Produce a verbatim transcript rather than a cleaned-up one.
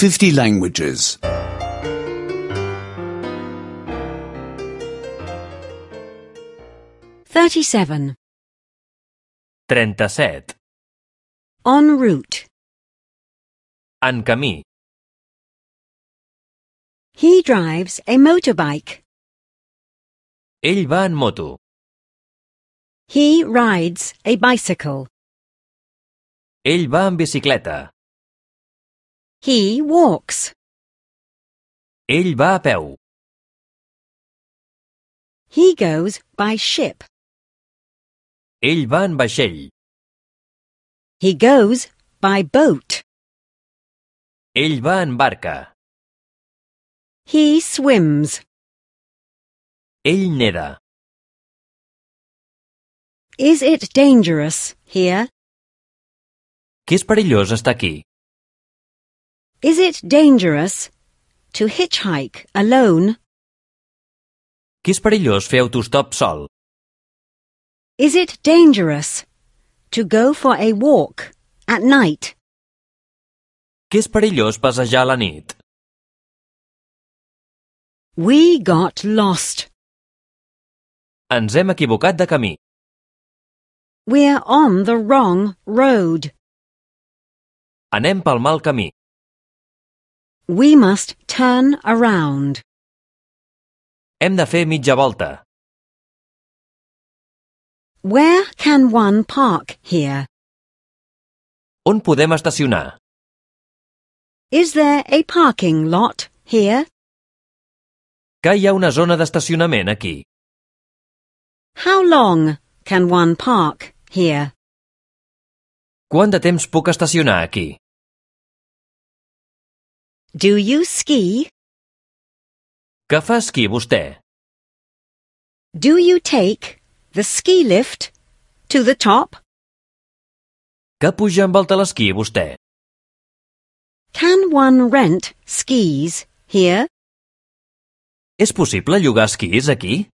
fifty languages. thirty-seven. trenta-set. En route. En camí. He drives a motorbike. Ell va en moto. He rides a bicycle. Ell va en bicicleta. He walks. Ell va a peu. He goes by ship. Ell va en vaixell. He goes by boat. Ell va en barca. He swims. Ell neda. Is it dangerous here? Que és perillós estar aquí? Is it dangerous to hitchhike alone? Que és perillós fer autostop sol? Is it dangerous to go for a walk at night? Que és perillós passejar a la nit? We got lost. Ens hem equivocat de camí. We're on the wrong road. Anem pel mal camí. We must turn around. Hem de fer mitja volta. Where can one park here? On podem estacionar? Is there a parking lot here? Que hi ha una zona d'estacionament aquí. How long can one park here? Quant de temps puc estacionar aquí? Do you ski? Que fa esquí vostè? Do you take the ski lift to the top? Que puja amb el telesquí vostè? Can one rent skis here? És possible llogar esquís aquí?